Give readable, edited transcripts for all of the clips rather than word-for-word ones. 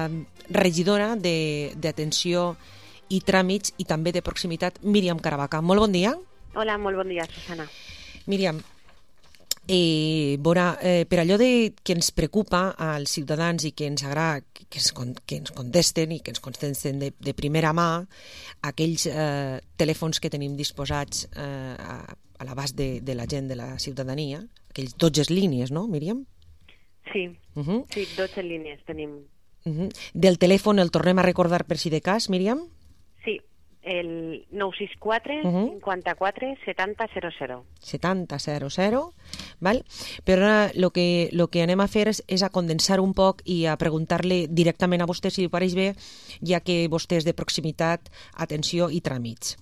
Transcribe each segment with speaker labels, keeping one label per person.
Speaker 1: la regidora d'atenció i tràmits i també de proximitat, Míriam Caravaca. Molt bon dia.
Speaker 2: Hola, molt bon dia, Susana.
Speaker 1: Míriam, per allò que ens preocupa als ciutadans i que ens agrada que ens contesten i que ens contesten de primera mà aquells telèfons que tenim disposats a l'abast de la gent, de la ciutadania, aquells 12 línies, no, Míriam?
Speaker 2: Sí, sí, 12 línies tenim.
Speaker 1: Del telèfon el tornem a recordar per si de cas, Míriam?
Speaker 2: Sí, el 964 54 70 00.
Speaker 1: 70 00, val? Però ara el que anem a fer és a condensar un poc i a preguntar-li directament a vostè, si li pareix bé, ja que vostè és de proximitat, atenció i tràmits.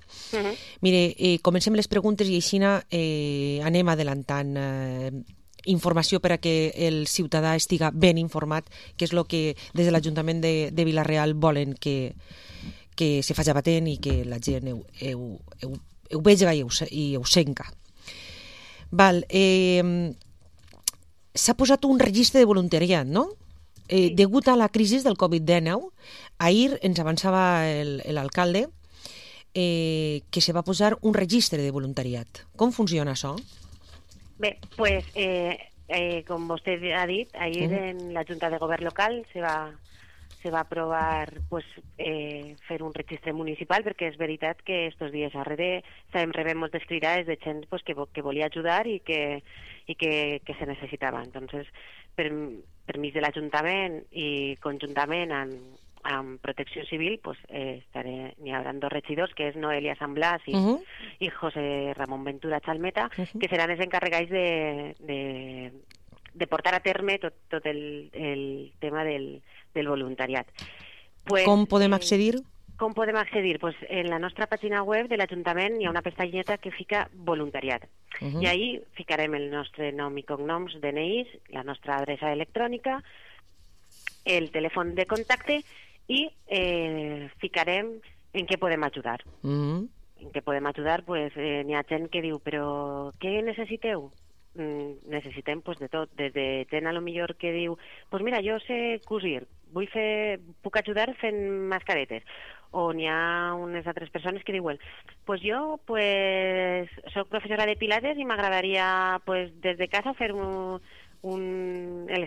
Speaker 1: Mire, comencem les preguntes i així anem adelantant informació per a que el ciutadà estiga ben informat, que és el que des de l'Ajuntament de Vila-real volen que se faci patent i que la gent ho vegi i ho senca. Val, s'ha posat un registre de voluntariat, no? Degut a la crisi del Covid-19, ahir ens avançava l'alcalde que se va posar un registre de voluntariat. Com funciona això?
Speaker 2: Bé, pues, com vostè ha dit, ahir en la Junta de Govern local se va aprovar fer un registre municipal, perquè és veritat que estos dies darrere estàvem rebent moltes cridades de gent que volia ajudar i que se necessitava. Entonces, permís de l'Ajuntament i conjuntament amb Protecció Civil, n'hi haurà 2 regidors, que és Noelia San Blas i José Ramón Ventura Chalmeta, que seran els encarregats de portar a terme tot el tema del voluntariat.
Speaker 1: Com podem accedir?
Speaker 2: Com podem accedir? En la nostra pàgina web de l'Ajuntament hi ha una pestanyeta que fica voluntariat. I ahí ficarem el nostre nom i cognoms, DNIs, la nostra adreça electrònica, el telèfon de contacte i ficarem en què podem ajudar. En què podem ajudar, n'hi ha gent que diu, però què necessiteu? Necessitem de tot, des de gent a lo millor que diu, mira, jo sé cosir, puc ajudar fent mascaretes. O n'hi ha unes altres persones que diuen, jo soc professora de pilates i m'agradaria des de casa fer el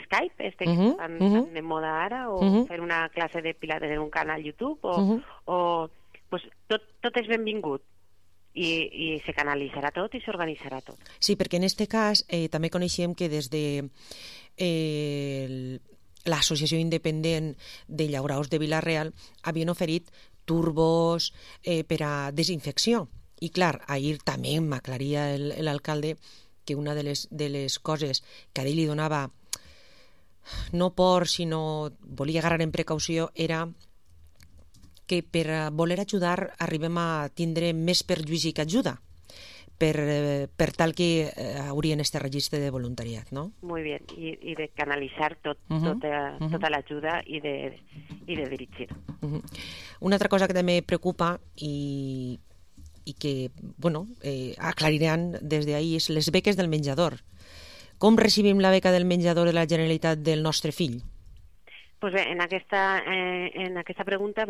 Speaker 2: Skype, que estan de moda ara, o fer una classe de pilates en un canal YouTube, tot és benvingut. I se canalitzarà tot i s'organitzarà tot.
Speaker 1: Sí, perquè en aquest cas també coneixem que des de l'Associació Independent de Llauraors de Vila-real havien oferit turbos per a desinfecció. I clar, ahir també m'aclaria l'alcalde que una de les coses que a ell li donava no por, sinó volia agarrar en precaució era que per voler ajudar arribem a tindre més perjudici que ajuda per tal que haurien este registre de voluntariat, no?
Speaker 2: Muy bien, i de canalitzar tota l'ajuda i de dirigir.
Speaker 1: Una altra cosa que també preocupa i que, aclariran des d'ahir és les beques del menjador. Com recibim la beca del menjador de la Generalitat del nostre fill?
Speaker 2: Pues bé, en aquesta pregunta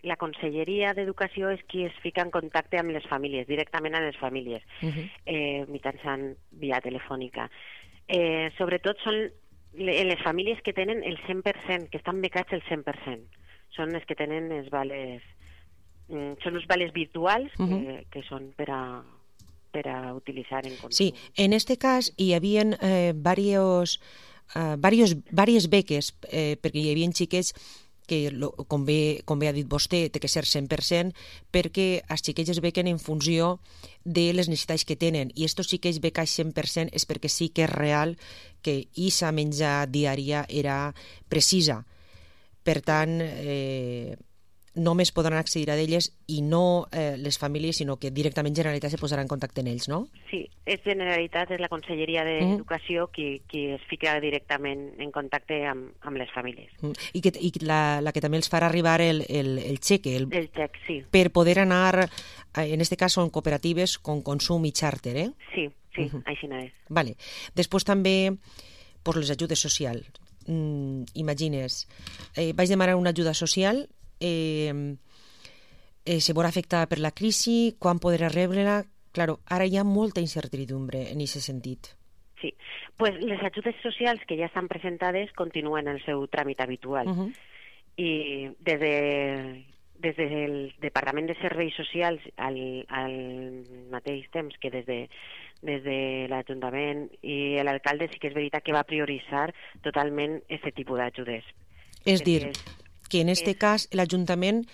Speaker 2: la Conselleria d'Educació és qui es fica en contacte amb les famílies, directament amb les famílies, mitjançant via telefònica. Sobretot són les famílies que tenen el 100%, que estan becats el 100%. Són les que tenen els vales, són els vales virtuals que són per a utilitzar en consum.
Speaker 1: Sí, en este cas hi havia diverses beques, perquè hi havia xiquets que, com bé ha dit vostè, té que ser 100%, perquè els xiquets es bequen en funció de les necessitats que tenen, i estos xiquets becats 100% és perquè sí que és real que aquesta menja diària era precisa. Per tant, només podran accedir a d'elles i no les famílies, sinó que directament Generalitat se posarà en contacte amb ells, no?
Speaker 2: Sí, és Generalitat, és la Conselleria d'Educació qui es fica directament en contacte amb les famílies.
Speaker 1: I la que també els farà arribar el xeque.
Speaker 2: El xec, sí.
Speaker 1: Per poder anar, en este cas són cooperatives con consum i xàrter, eh?
Speaker 2: Sí, així no és.
Speaker 1: Vale. Després també les ajudes socials. imagines, vaig demanar una ajuda social, se veurà afectada per la crisi, quan podrà rebre-la? Claro, ara hi ha molta incertidumbre en aquest sentit.
Speaker 2: Sí, pues les ajudes socials que ja estan presentades continuen el seu tràmit habitual. I des del Departament de Serveis Socials al mateix temps que des de l'Ajuntament i l'alcalde sí que és veritat que va prioritzar totalment aquest tipus d'ajudes.
Speaker 1: És dir, que en aquest cas l'Ajuntament,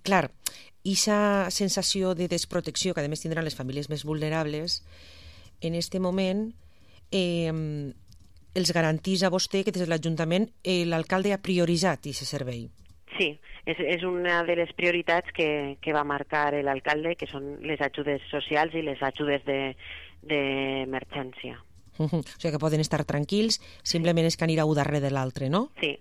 Speaker 1: clar, aquesta sensació de desprotecció que a més tindran les famílies més vulnerables, en aquest moment els garantís a vostè que des de l'Ajuntament l'alcalde ha prioritzat aquest servei.
Speaker 2: Sí, és una de les prioritats que va marcar l'alcalde, que són les ajudes socials i les ajudes d'emergència.
Speaker 1: O sigui que poden estar tranquils, simplement és que anirà un darrere de l'altre, no?
Speaker 2: Sí,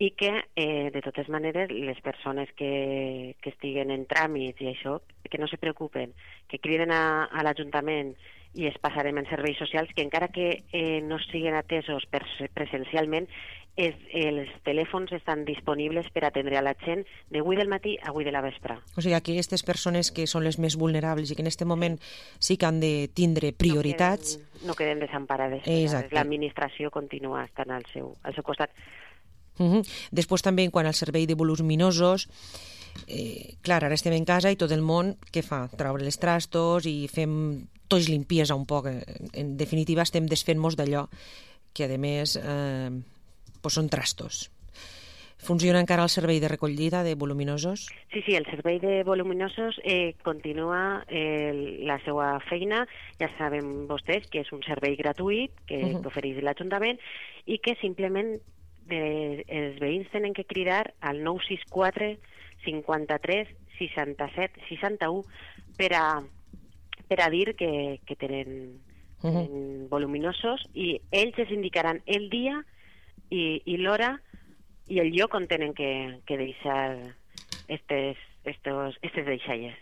Speaker 2: i que, de totes maneres, les persones que estiguen en tràmits i això, que no se preocupen, que criden a l'Ajuntament i es passarem en serveis socials, que encara que no siguin atesos presencialment, els telèfons estan disponibles per atendre a la gent de 8 del matí a 8 de la vespre.
Speaker 1: O sigui que aquestes persones que són les més vulnerables i que en aquest moment sí que han de tindre prioritats...
Speaker 2: No queden desemparades. L'administració continua estant al seu costat.
Speaker 1: Després també, en quant al servei de voluminosos, clar, ara estem en casa i tot el món, què fa? Traure els trastos i fem tots limpiesa un poc. En definitiva, estem desfent-nos d'allò que, a més, són trastos. Funciona encara el servei de recollida de voluminosos?
Speaker 2: Sí, el servei de voluminosos continua la seva feina. Ja saben vostès que és un servei gratuït que ofereix l'Ajuntament i que simplement els veïns tenen que cridar al 964 53 67 61 per a dir que tenen voluminosos i ells es indicaran el dia i l'hora i el lloc on tenen que deixar estes deixalles.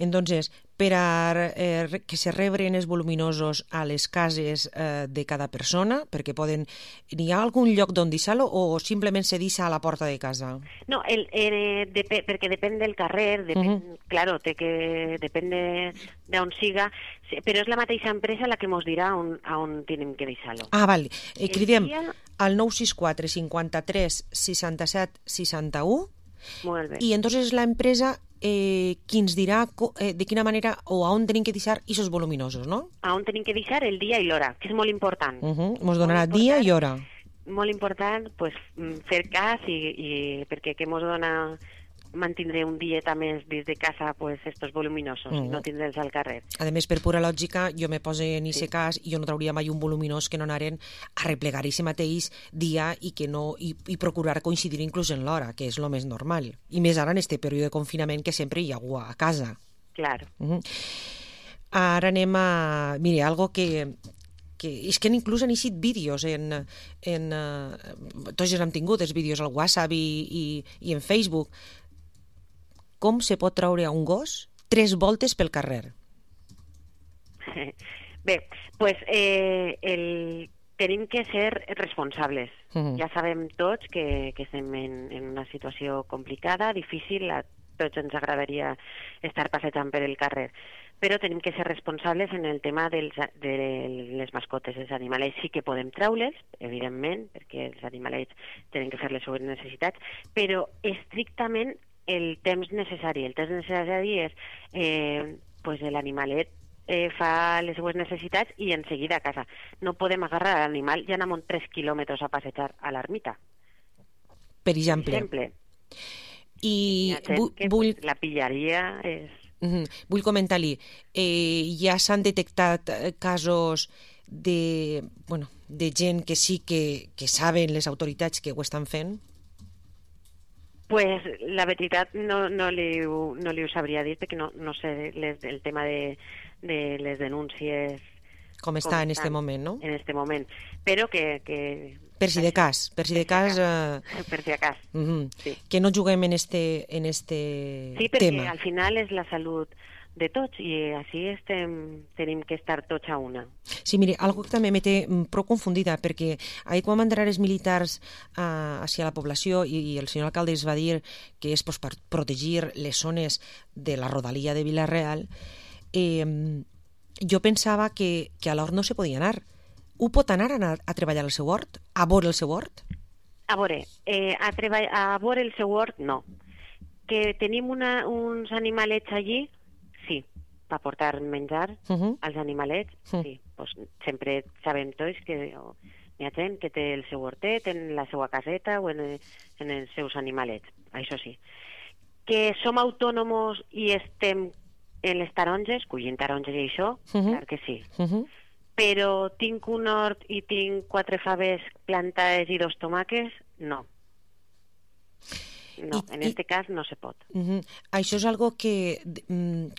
Speaker 1: Entonces, per a que se rebren els voluminosos a les cases de cada persona, perquè n'hi ha algun lloc d'on deixar-lo o simplement se deixa a la porta de casa?
Speaker 2: No, perquè depèn del carrer, claro, depèn d'on siga, però és la mateixa empresa la que ens dirà on tenim que deixar-lo.
Speaker 1: Ah, val. Cridem al 964 53 67 61.
Speaker 2: Molt bé.
Speaker 1: I entonces la empresa qui ens dirà de quina manera o a on tenim que deixar aquests voluminosos, no?
Speaker 2: A on tenim que deixar el dia i l'hora, que és molt important.
Speaker 1: Ens donarà dia i hora.
Speaker 2: Molt important fer cas i perquè ens dona mantindre un dieta més des de casa estos voluminosos i no tindre'ls al carrer.
Speaker 1: A més, per pura lògica, jo me pose en aquest cas i jo no trauria mai un voluminós que no anaren a replegar aquest mateix dia i procurar coincidir inclús en l'hora, que és el més normal. I més ara en este període de confinament que sempre hi ha algú a casa.
Speaker 2: Clar.
Speaker 1: Ara anem a... Mire, algo que és que inclús han eixit vídeos tots ja hem tingut els vídeos al WhatsApp i en Facebook. Com se pot treure a un gos 3 voltes pel carrer?
Speaker 2: Bé, tenim que ser responsables. Ja sabem tots que estem en una situació complicada, difícil, a tots ens agradaria estar passejant per el carrer, però tenim que ser responsables en el tema de les mascotes, els animalets. Sí que podem treure'ls, evidentment, perquè els animalets tenen que fer les seves necessitats, però estrictament el temps necessari. El temps necessari és l'animalet fa les seues necessitats i en seguida a casa. No podem agarrar l'animal i anar 3 quilòmetres a passejar a l'ermita.
Speaker 1: Per exemple. I
Speaker 2: la pillaria és...
Speaker 1: Vull comentar-li, ja s'han detectat casos de gent que sí que saben les autoritats que ho estan fent?
Speaker 2: Pues la veritat no li ho sabria dir perquè no sé el tema de les denúncies
Speaker 1: com està en este moment, no?
Speaker 2: En este moment, però que
Speaker 1: per si de cas.
Speaker 2: Per si de cas.
Speaker 1: Sí. Que no juguem en este
Speaker 2: sí, perquè
Speaker 1: tema.
Speaker 2: al final és la salut de tots i així tenim que estar tots a una.
Speaker 1: Sí, mire, algo que també me té prou confundida, perquè ahir quan van entrar els militars hacia la població i el senyor alcalde es va dir que és per protegir les zones de la rodalia de Vila-real, jo pensava que a l'hort no se podia anar. Ho pot anar a treballar al seu hort? A veure el seu hort?
Speaker 2: A veure, a veure el seu hort, no. Que tenim uns animalets allí, sí, per portar menjar als animalets, sí. Pues sempre sabem tots que hi ha gent que té el seu hortet en la seva caseta o en els seus animalets, això sí. Que som autònoms i estem en les taronges, collint taronges i això, clar que sí. Però tinc un hort i tinc 4 faves plantades i 2 tomàquets, no. No, en este cas no se pot.
Speaker 1: Això és algo que,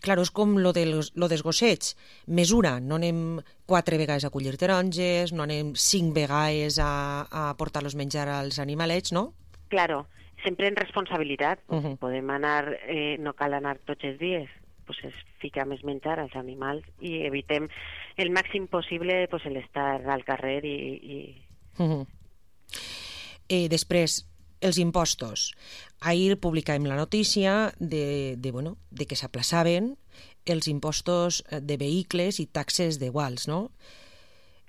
Speaker 1: claro, és com lo dels gossets. Mesura, no anem 4 vegades a collir taronges, no anem 5 vegades a portar-los menjar als animalets, no?
Speaker 2: Claro, sempre en responsabilitat. Podem anar, no cal anar tots els dies, pues es fica més menjar als animals i evitem el màxim possible pues, l'estar al carrer i...
Speaker 1: Després, els impostos. Ahir publicàvem la notícia de que s'aplaçaven els impostos de vehicles i taxes d'iguals, no?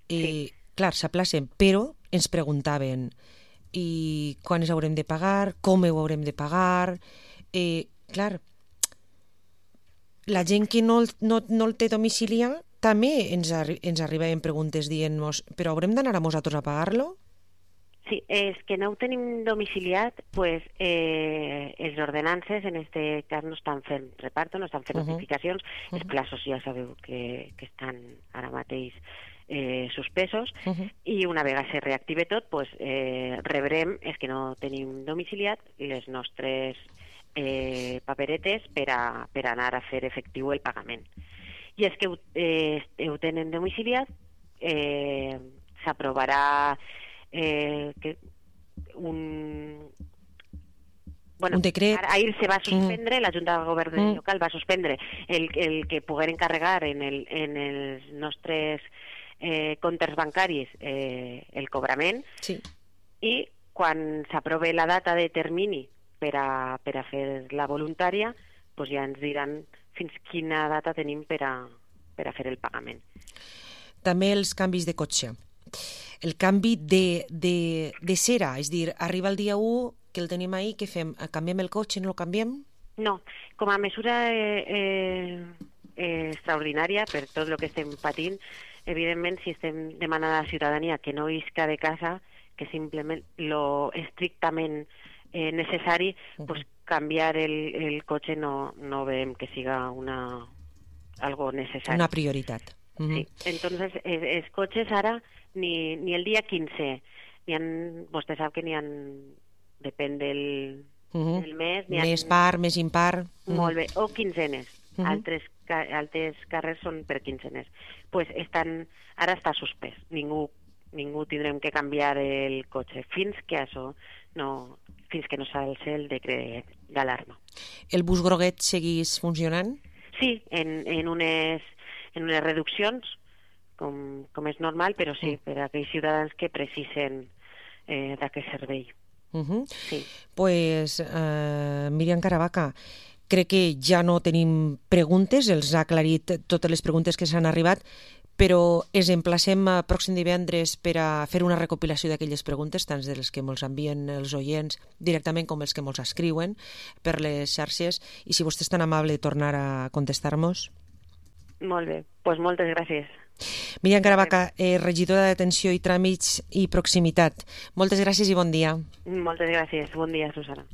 Speaker 2: Sí.
Speaker 1: Clar, s'aplacen, però ens preguntaven i quan els haurem de pagar, com ho haurem de pagar... Clar, la gent que no el té domiciliat també ens arribaven preguntes dient-nos però haurem d'anar a nosaltres a pagar-lo?
Speaker 2: Sí, és que no ho tenim domiciliat, pues els ordenances en este cas no estan fent reparto, no estan fent notificacions, els plaços ja sabeu que estan ara mateix suspesos i una vegada se reactive tot, pues rebrem, és que no tenim domiciliat, les nostres paperetes per anar a fer efectiu el pagament. I és que ho tenen domiciliat, s'aprovarà un
Speaker 1: decret.
Speaker 2: Ahir se va suspendre, la Junta de Govern local va suspendre el que pogueren encarregar en els nostres comptes bancaris el cobrament,
Speaker 1: sí.
Speaker 2: I quan s'aprove la data de termini per a fer la voluntària, pues ja ens diran fins quina data tenim per a fer el pagament.
Speaker 1: També els canvis de cotxe. El canvi de cera, és dir, arriba el dia 1 que el tenim ahí, què fem? Canviem el cotxe, no el canviem?
Speaker 2: No, com a mesura extraordinària per tot el que estem patint, evidentment si estem demanant a la ciutadania que no isca de casa, que simplement lo estrictament necessari, pues canviar el cotxe no veiem que siga algo necessari.
Speaker 1: Una prioritat.
Speaker 2: Sí, entonces els cotxes ara ni el dia 15, vostè sap que depèn del mes.
Speaker 1: Més par, més impar.
Speaker 2: Molt bé, o quinzenes. Altres carrers són per quinzenes. Pues ara està suspès. Ningú tindrem que canviar el cotxe fins que no s'alce el decret d'alarma.
Speaker 1: El bus groguet seguís funcionant?
Speaker 2: Sí, en unes reduccions, com és normal, però sí, per a aquells ciutadans que precisen d'aquest servei. Sí.
Speaker 1: Pues, Míriam Caravaca, crec que ja no tenim preguntes, els ha aclarit totes les preguntes que s'han arribat, però ens emplacem pròxim divendres per a fer una recopilació d'aquelles preguntes, tant dels que ens envien els oients directament com els que ens escriuen per les xarxes, i si vostè és tan amable de tornar a contestar-nos.
Speaker 2: Molt bé, doncs moltes gràcies.
Speaker 1: Míriam Caravaca, regidora d'Atenció i Tràmits i Proximitat. Moltes gràcies i bon dia.
Speaker 2: Moltes gràcies. Bon dia, Susana.